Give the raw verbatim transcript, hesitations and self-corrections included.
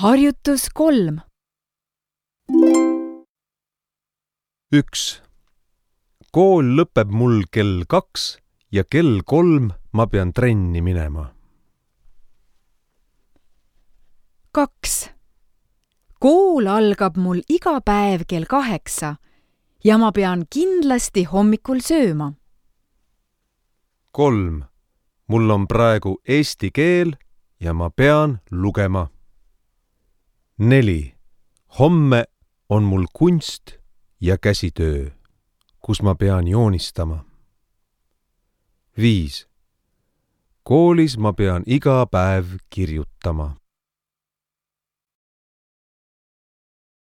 Harjutus kolm. üks. Kool lõpeb mul kell kaks ja kell kolm ma pean trenni minema. kaks. Kool algab mul iga päev kell kaheksa ja ma pean kindlasti hommikul sööma. kolm. Mul on praegu eesti keel ja ma pean lugema. neli. Homme on mul kunst ja käsitöö, kus ma pean joonistama. viis. Koolis ma pean iga päev kirjutama.